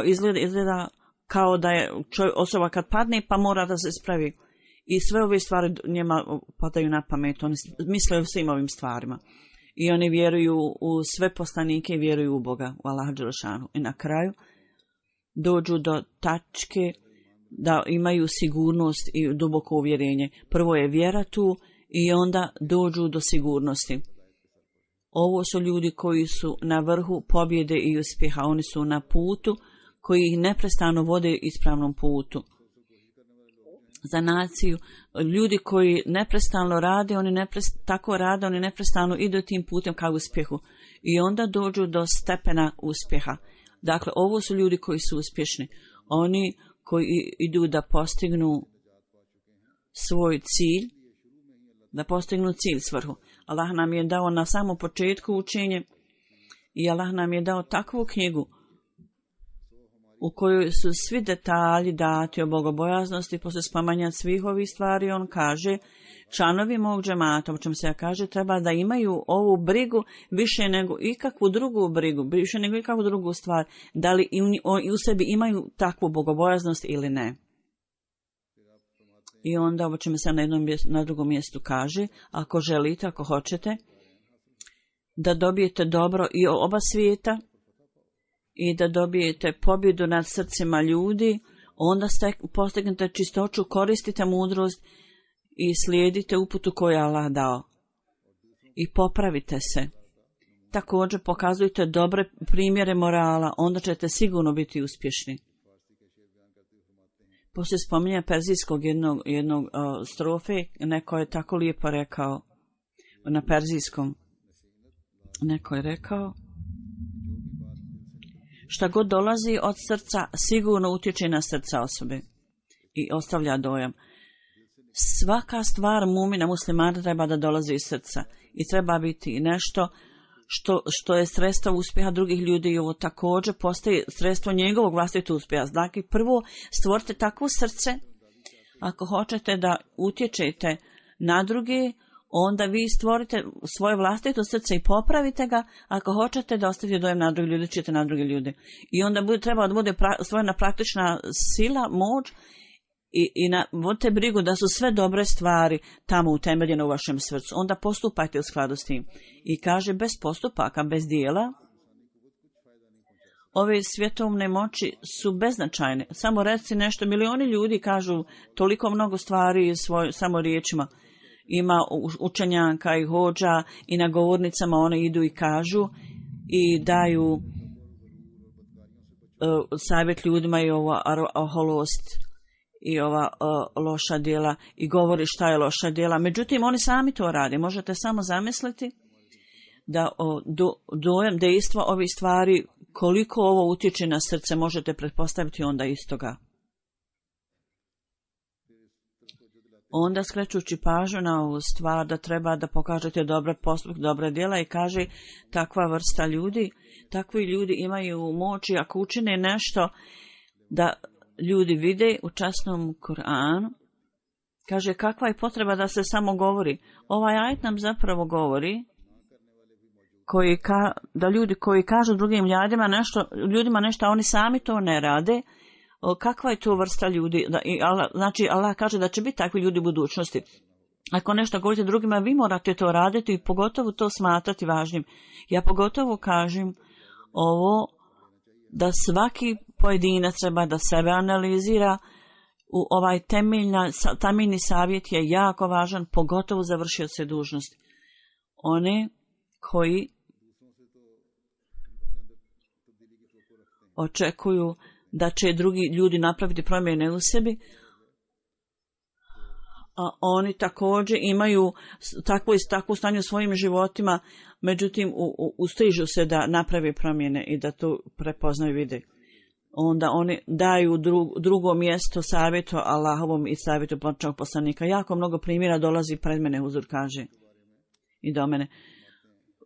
izgleda kao da je osoba kad padne pa mora da se ispravi. I sve ove stvari njima padaju na pamet. Oni misle o svim ovim stvarima. I oni vjeruju u sve poslanike i vjeruju u Boga, u Allaha dželešanu. I na kraju dođu do tačke da imaju sigurnost i duboko uvjerenje. Prvo je vjera tu i onda dođu do sigurnosti. Ovo su ljudi koji su na vrhu pobjede i uspjeha. Oni su na putu koji ih neprestano vode ispravnom putu. Za naciju, ljudi koji neprestano rade, tako rade, oni neprestano idu tim putem ka uspjehu. I onda dođu do stepena uspjeha. Dakle, ovo su ljudi koji su uspješni. Oni koji idu da postignu svoj cilj, da postignu cilj, svrhu. Allah nam je dao na samom početku učenje i Allah nam je dao takvu knjigu u kojoj su svi detalji dati o bogobojaznosti. Poslije spomanja svih ovih stvari on kaže, članovi mog džemata, o čem se kaže, treba da imaju ovu brigu više nego ikakvu drugu brigu, više nego ikakvu drugu stvar, da li u sebi imaju takvu bogobojaznost ili ne. I onda ovo čemu se na drugom mjestu kaže, ako želite, ako hoćete, da dobijete dobro i oba svijeta i da dobijete pobjedu nad srcima ljudi, onda postignete čistoću, koristite mudrost i slijedite uputu koju je Allah dao. I popravite se. Također pokazujte dobre primjere morala, onda ćete sigurno biti uspješni. Poslije spominja perzijskog jednog strofe, neko je tako lijepo rekao, na perzijskom, neko je rekao, šta god dolazi od srca, sigurno utječe na srca osobe i ostavlja dojam. Svaka stvar mumina muslimana treba da dolazi iz srca i treba biti nešto što je sredstvo uspjeha drugih ljudi i ovo također postaje sredstvo njegovog vlastitog uspjeha. Dakle, prvo stvorite takvo srce, ako hoćete da utječete na druge, onda vi stvorite svoje vlastito srce i popravite ga, ako hoćete da ostavite dojem na druge ljude, čite na druge ljude. I onda treba da bude stvorena praktična sila, moć i vodite brigu da su sve dobre stvari tamo utemeljene u vašem srcu. Onda postupajte u skladu s tim. I kaže, bez postupaka, bez dijela, ove svjetovne moći su beznačajne. Samo reci nešto, milioni ljudi kažu toliko mnogo stvari samo riječima. Ima učenjaka i hođa i na govornicama one idu i kažu i daju savjet ljudima i ova oholost i ova loša djela i govori šta je loša djela. Međutim, oni sami to rade. Možete samo zamisliti da dojam dejstva ovih stvari, koliko ovo utječe na srce, možete pretpostaviti onda istoga. Onda skrećući pažnju na ovu stvar da treba da pokažete dobre postupke, dobre djela i kaže takva vrsta ljudi, takvi ljudi imaju moći ako učine nešto da ljudi vide u časnom Kur'anu. Kaže kakva je potreba da se samo govori. Ovaj ajet nam zapravo govori da ljudi koji kažu drugim ljudima nešto, a oni sami to ne rade. Kakva je to vrsta ljudi? Znači, Allah kaže da će biti takvi ljudi u budućnosti. Ako nešto govorite drugima, vi morate to raditi i pogotovo to smatrati važnim. Ja pogotovo kažem ovo da svaki pojedinac treba da sebe analizira. Ovaj temeljni savjet je jako važan, pogotovo za vršioce dužnosti. One koji očekuju da će drugi ljudi napraviti promjene u sebi, a oni također imaju takvo stanje u svojim životima, međutim ustižu se da naprave promjene i da to prepoznaju i vide. Onda oni daju drugo mjesto savjetu Allahovom i savjetu početnog poslanika. Jako mnogo primjera dolazi pred mene, Huzur kaže, i do mene.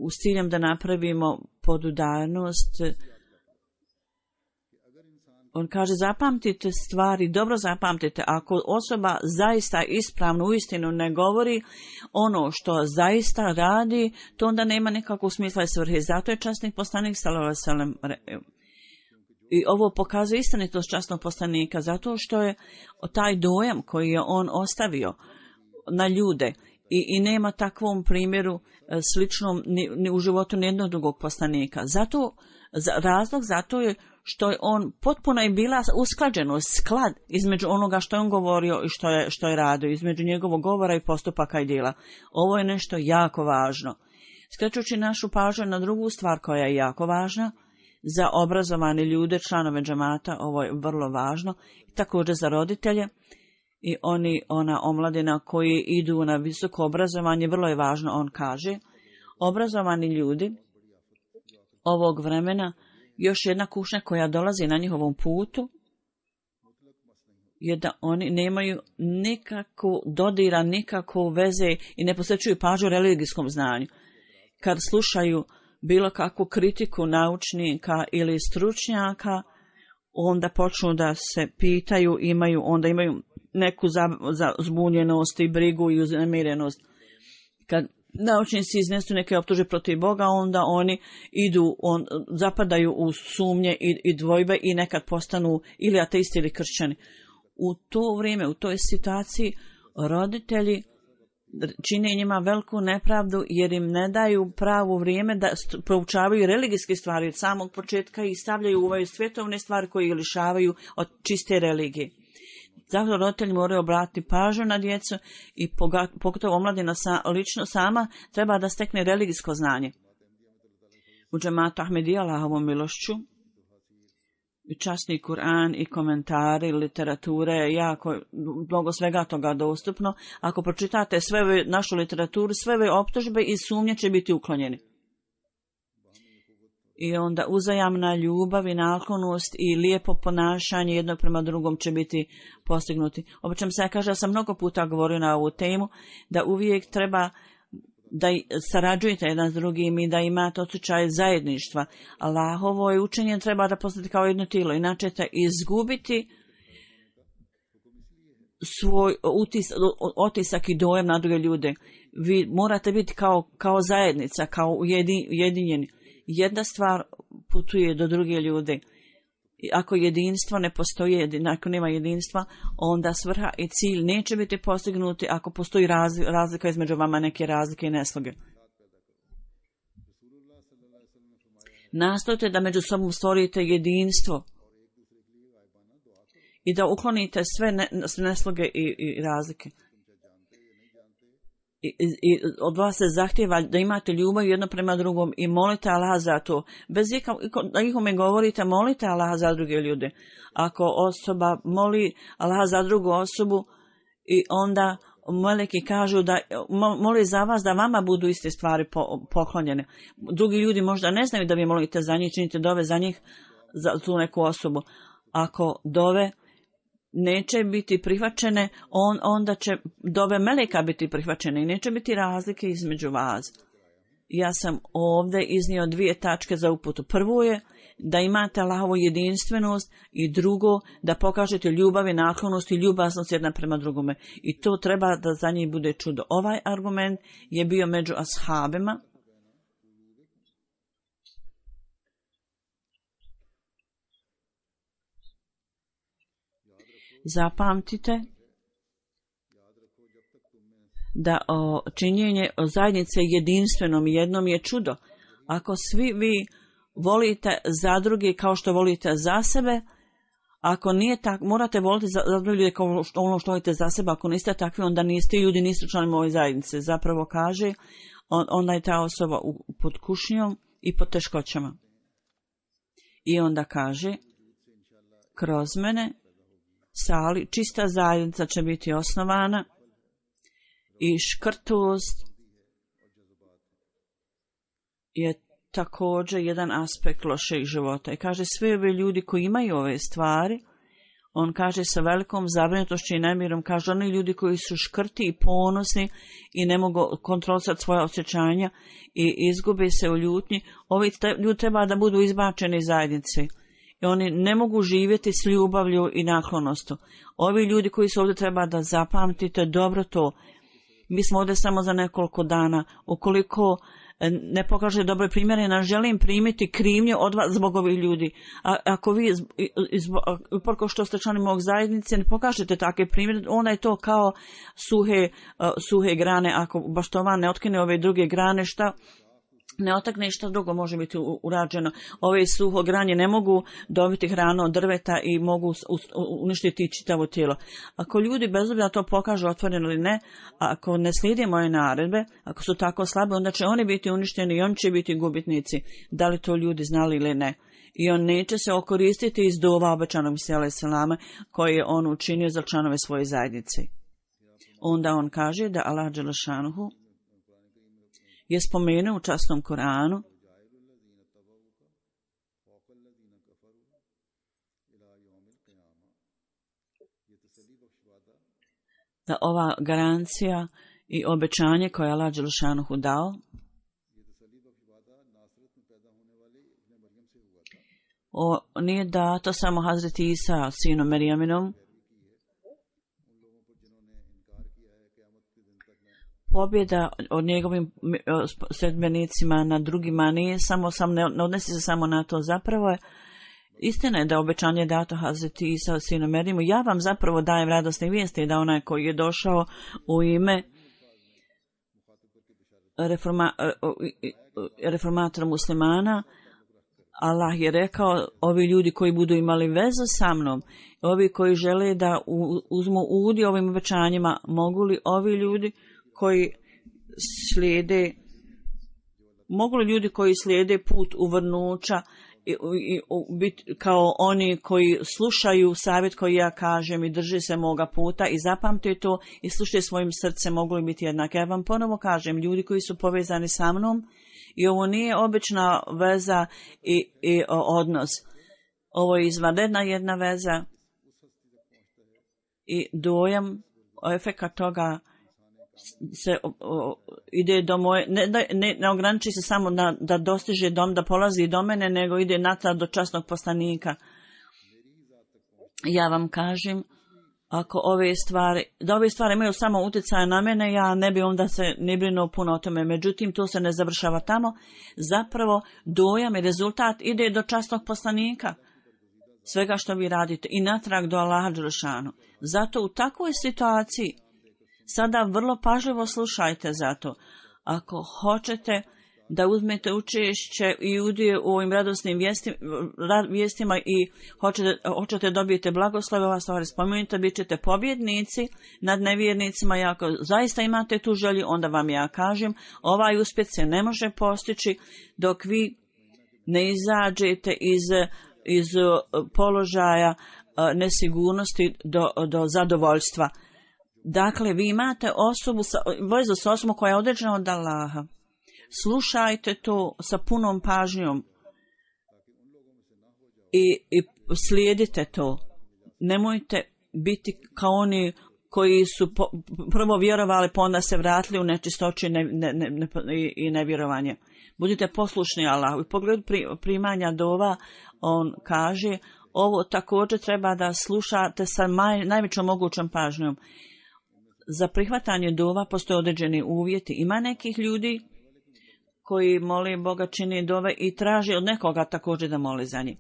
s ciljem da napravimo podudarnost. On kaže, zapamtite stvari, dobro zapamtite, ako osoba zaista ispravno uistinu ne govori ono što zaista radi, to onda nema nikakvog smisla i svrhe. Zato je časnik poslanik sallallahu alejhi ve sellem, i ovo pokazuje istinitost časnog poslanika, zato što je taj dojam koji je on ostavio na ljude i nema takvom primjeru sličnom ni u životu nijednog drugog poslanika. Razlog zato je što je on potpuno je bila usklađenost, sklad između onoga što je on govorio i što je radio, između njegovog govora i postupaka i djela. Ovo je nešto jako važno. Skrećući našu pažnju na drugu stvar koja je jako važna, za obrazovane ljude, članove džamata, ovo je vrlo važno, također za roditelje i ona omladina koji idu na visoko obrazovanje, vrlo je važno, on kaže, obrazovani ljudi ovog vremena, još jedna kušnja koja dolazi na njihovom putu je da oni nemaju nikakvu dodira, nikakvu veze i ne posvećuju pažnju religijskom znanju. Kad slušaju bilo kakvu kritiku naučnika ili stručnjaka, onda počnu da se pitaju, onda imaju neku zbunjenost i brigu i uznemirenost. Kad naučnici iznesu neke optužbe protiv Boga, onda oni zapadaju u sumnje i dvojbe i nekad postanu ili ateisti ili kršćani. U to vrijeme, u toj situaciji, roditelji čine njima veliku nepravdu jer im ne daju pravo vrijeme da proučavaju religijske stvari od samog početka i stavljaju u ove svjetovne stvari koje ih lišavaju od čiste religije. Zato roditelji moraju obratiti pažnju na djecu i pogotovo omladina lično sama treba da stekne religijsko znanje. U džematu Ahmedija, Allahovom milošću, časni Kur'an i komentari, literature, jako mnogo svega toga dostupno. Ako pročitate sve našu literaturu, sve ove optužbe i sumnje će biti uklonjeni. I onda uzajamna ljubav i naklonost i lijepo ponašanje jednog prema drugom će biti postignuti. Obično se kaže, ja sam mnogo puta govorio na ovu temu, da uvijek treba da sarađujete jedan s drugim i da imate osjećaj zajedništva. Allahovo je učenje treba da postati kao jedno tijelo, inače ćete izgubiti svoj otisak i dojam na druge ljude. Vi morate biti kao zajednica, kao ujedinjeni. Jedna stvar putuje do druge ljude. Ako jedinstvo ne postoji, ako nema jedinstva, onda svrha i cilj neće biti postignuti ako postoji razlika između vama, neke razlike i nesloge. Nastojte da među sobom stvorite jedinstvo i da uklonite sve nesloge i razlike. I od vas se zahtjeva da imate ljubav jedno prema drugom i molite Allaha za to. Bez ikome govorite, molite Allaha za druge ljude. Ako osoba moli Allaha za drugu osobu i onda meleki kažu da moli za vas da vama budu iste stvari poklonjene. Drugi ljudi možda ne znaju da vi molite za njih, činite dove za njih, za tu neku osobu. Ako dove neće biti prihvaćene, onda će dove meleka biti prihvaćene i neće biti razlike između vas. Ja sam ovdje iznio 2 tačke za uputu. Prvo je da imate Allahovu jedinstvenost i drugo da pokažete ljubav i naklonost i ljubaznost jedna prema drugome. I to treba da za njih bude čudo. Ovaj argument je bio među ashabima. Zapamtite da činjenje zajednice jedinstvenom jednom je čudo. Ako svi vi volite za druge kao što volite za sebe, ako nije tako, morate voliti za druge ljude kao ono što volite za sebe, ako niste takvi, onda niste ljudi, niste članovi ove zajednice. Zapravo kaže, onda je ta osoba pod kušnjom i pod teškoćama. I onda kaže, kroz mene sali, čista zajednica će biti osnovana i škrtost je također jedan aspekt lošeg života. I kaže, sve ove ljudi koji imaju ove stvari, On kaže sa velikom zabrinutošću i nemirom, kaže oni ljudi koji su škrti i ponosni i ne mogu kontrolisati svoje osjećanja i izgube se u ljutnji, ovi ljudi treba da budu izbačeni iz zajednice. I oni ne mogu živjeti s ljubavlju i naklonostu. Ovi ljudi koji su ovdje treba da zapamtite dobro to. Mi smo ovdje samo za nekoliko dana. Ukoliko ne pokaže dobre primjere, ne želim primiti krivnje od vas zbog ovih ljudi. Ako vi, uprko što ste članovi mog zajednice, ne pokažete takve primjere, onda je to kao suhe grane. Ako baštovan ne otkine ove druge grane, šta ne otakne, šta drugo može biti urađeno. Ove suho granje ne mogu dobiti hranu od drveta i mogu uništiti čitavo tijelo. Ako ljudi bez obzira to pokažu otvoreno ili ne, ako ne slijede moje naredbe, ako su tako slabe, onda će oni biti uništeni i oni će biti gubitnici. Da li to ljudi znali ili ne? I on neće se okoristiti iz dova obećanog Mesija selama koje je on učinio za članove svoje zajednice. Onda on kaže da Allah dželešanuhu je spomenuo u časnom Koranu da ova garancija i obećanje koje je Allah dželešanuhu dao nije dato samo Hazreti Isa sinu Merijaminom. Pobjeda od njegovim sledbenicima na drugima ne odnosi se samo na to. Zapravo je istina je da obećanje dato Hazreti Isa sinu Merijamu. Ja vam zapravo dajem radosne vijesti da onaj koji je došao u ime reformatora muslimana, Allah je rekao, ovi ljudi koji budu imali vezu sa mnom, ovi koji žele da uzmu udio ovim obećanjima, mogu li ovi ljudi koji slijede, mogu li ljudi koji slijede put uvrnuća i biti kao oni koji slušaju savjet koji ja kažem i drže se moga puta i zapamte to i slušaju svojim srcem, mogu li biti jednaki. Ja vam ponovo kažem, ljudi koji su povezani sa mnom, i ovo nije obična veza i odnos. Ovo je izvanredna jedna veza i dojam, efekat toga se ide do moje, ne ograniči se samo da dostiže da polazi do mene, nego ide natrag do časnog poslanika. Ja vam kažem, ako ove stvari imaju samo utjecaja na mene, ja ne bi onda se ne brinuo puno o tome. Međutim, to se ne završava tamo. Zapravo, dojam i rezultat ide do časnog poslanika. Svega što vi radite i natrag do Allaha dželešanu. Zato u takvoj situaciji sada vrlo pažljivo slušajte zato. Ako hoćete da uzmete učešće i udio u ovim radosnim vijestima i hoćete dobijete blagoslove, ova stvar spomenite, bit ćete pobjednici nad nevjernicima. I ako zaista imate tu želju, onda vam ja kažem, ovaj uspjeh se ne može postići dok vi ne izađete iz položaja nesigurnosti do zadovoljstva. Dakle, vi imate vezu sa osobom koja je određena od Allaha. Slušajte to sa punom pažnjom i slijedite to. Nemojte biti kao oni koji su prvo vjerovali, pa onda se vratili u nečistoću i nevjerovanje. Budite poslušni Allahu. U pogledu primanja dova, on kaže, ovo također treba da slušate sa najvećom mogućom pažnjom. Za prihvatanje dova postoje određeni uvjeti. Ima nekih ljudi koji moli Boga, čini dove i traži od nekoga također da moli za njih.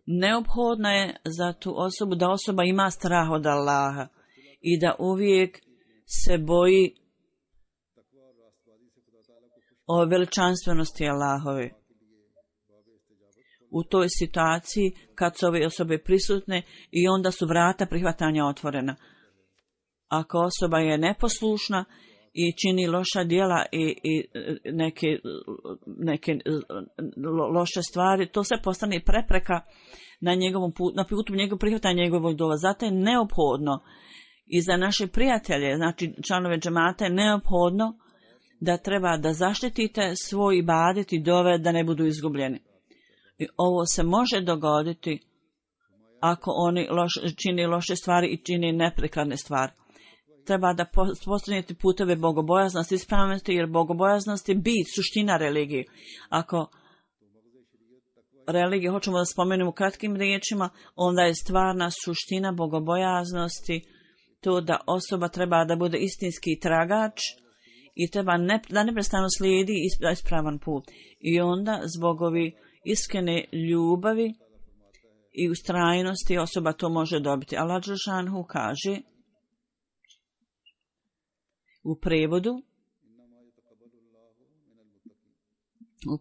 Neophodno je za tu osobu da osoba ima strah od Allaha i da uvijek se boji o veličanstvenosti Allahove. U toj situaciji kad su ove osobe prisutne i onda su vrata prihvatanja otvorena. Ako osoba je neposlušna i čini loša djela i neke loše stvari, to sve postane prepreka na njegovom putu, na putu prihvatanja njegovog dova. Zato je neophodno i za naše prijatelje, znači članove džemata, je neophodno da treba da zaštitite svoj ibadet i dove da ne budu izgubljeni. I ovo se može dogoditi ako oni čini loše stvari i čini neprikladne stvari. Treba da postavljate puteve bogobojaznosti i ispravnosti, jer bogobojaznost je bit, suština religije. Ako religiju hoćemo da spomenemo kratkim riječima, onda je stvarna suština bogobojaznosti to da osoba treba da bude istinski tragač i treba da neprestano slijedi ispravan put. I onda zbog ovi iskrene ljubavi i ustrajnosti osoba to može dobiti. Allah dželešanu kaže u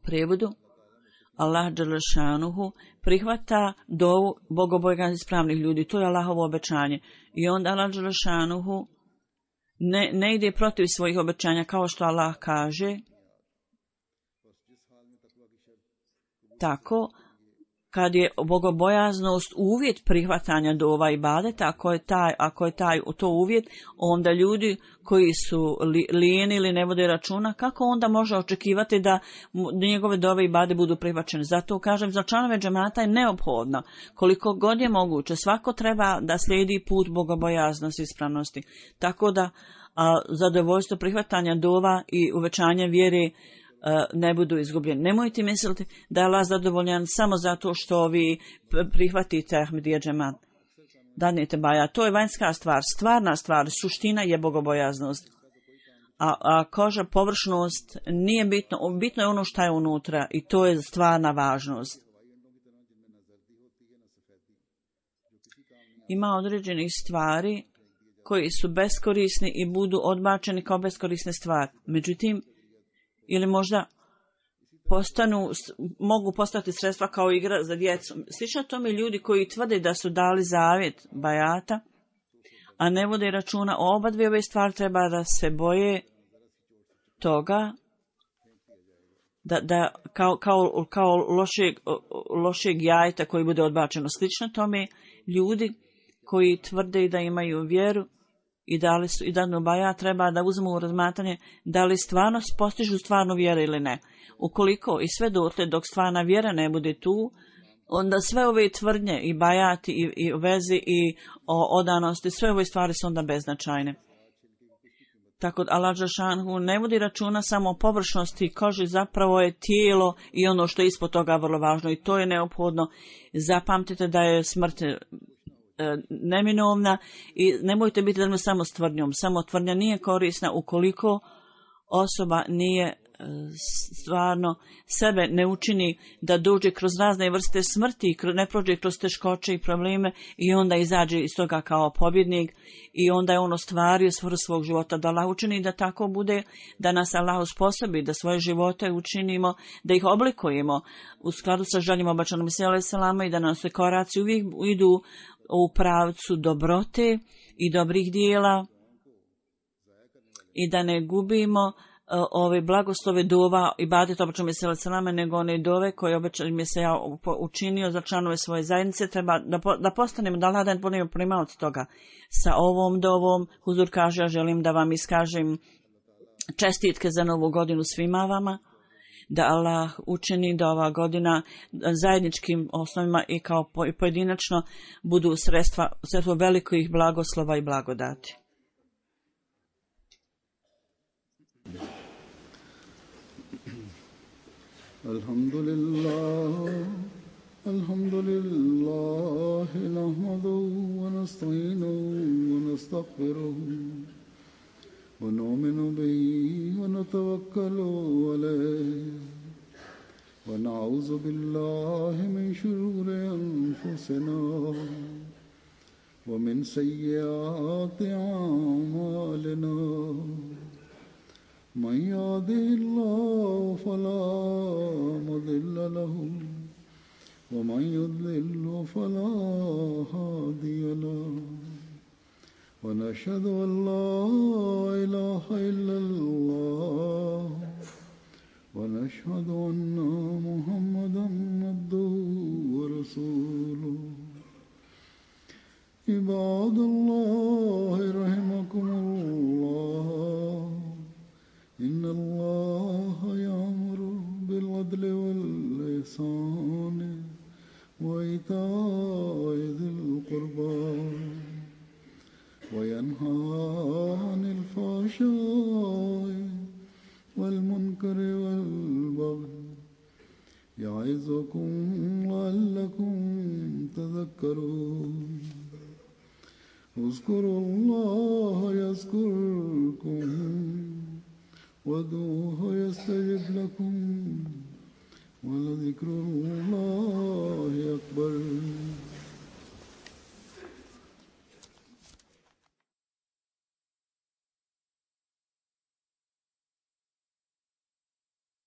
prevodu Allah dželešanu prihvata dovu bogobojaznih ispravnih ljudi. To je Allahovo obećanje. I onda Allah dželešanu ne ide protiv svojih obećanja, kao što Allah kaže. Tako, kad je bogobojaznost uvjet prihvatanja dova ibadeta, ako je to uvjet, onda ljudi koji su lijeni ili ne vode računa, kako onda može očekivati da njegove dove ibade budu prihvaćene? Zato kažem, za članove džemata je neophodno, koliko god je moguće, svako treba da slijedi put bogobojaznosti i ispravnosti. Tako da zadovoljstvo prihvatanja dova i uvećanja vjere ne budu izgubljeni. Nemojte misliti da je Allah zadovoljan samo zato što vi prihvatite Ahmedija džemat. Dadnete baja. To je vanjska stvar. Stvarna stvar, suština je bogobojaznost. A koža, površnost nije bitno. Bitno je ono što je unutra i to je stvarna važnost. Ima određenih stvari koji su beskorisni i budu odbačeni kao beskorisne stvari. Međutim, ili možda mogu postati sredstva kao igra za djecu. Slično tome ljudi koji tvrde da su dali zavjet bajata, a ne vode računa o oba dvije ove stvari, treba da se boje toga da kao lošeg jajeta koji bude odbačeno. Slično tome ljudi koji tvrde da imaju vjeru i dali su i danu baja, treba da uzmu u razmatranje da li stvarno postižu stvarnu vjeru ili ne. Ukoliko i sve dotle dok stvarna vjera ne bude tu, onda sve ove tvrdnje i bajati i vezi i odanosti, sve ove stvari su onda beznačajne. Tako da Allah dželešanu ne vodi računa samo o površnosti kože, zapravo je tijelo i ono što je ispod toga vrlo važno i to je neophodno. Zapamtite da je smrt neminovna i nemojte biti samo s tvrdnjom. Samo tvrdnja nije korisna ukoliko osoba nije stvarno sebe ne učini da dođe kroz razne vrste smrti, ne prođe kroz teškoće i probleme i onda izađe iz toga kao pobjednik i onda je on ostvario svrhu svog života. Da Allah učini da tako bude, da nas Allah usposobi, da svoje živote učinimo, da ih oblikujemo u skladu sa željama obećanog Mesija alejhi selama i da nas koraci uvijek idu u pravcu dobrote i dobrih dijela i da ne gubimo ove blagoslove dova i badeta obećanog Mesija alejhi selama, nego one dove koje obećani Mesija učinio za članove svoje zajednice. Treba da postanemo, da Allah budemo primaoci toga. Sa ovom dovom Huzur kaže, ja želim da vam iskažem čestitke za novu godinu svima vama, da Allah učini da ova godina zajedničkim osnovima i kao pojedinačno budu sredstvo velikih blagoslova i blagodati. Alhamdulillah, nahmaduhu wa nasta'inuhu wa nastaghfiruhu wa nu'minu bihi wa natawakkalu alayhi wa na'udzu billahi min shururi anfusina wa min sayyiati a'malina. من يهده الله فلا مضل له ومن يضلل فلا هادي له ونشهد أن لا إله إلا الله ونشهد أن محمدا عبده ورسوله. عباد الله رحمكم الله، إن الله يأمر بالعدل والإحسان وإيتاء ذي يعظكم لعلكم تذكرون اذكروا الله يذكركم وادعوه يستجب لكم ولذكر الله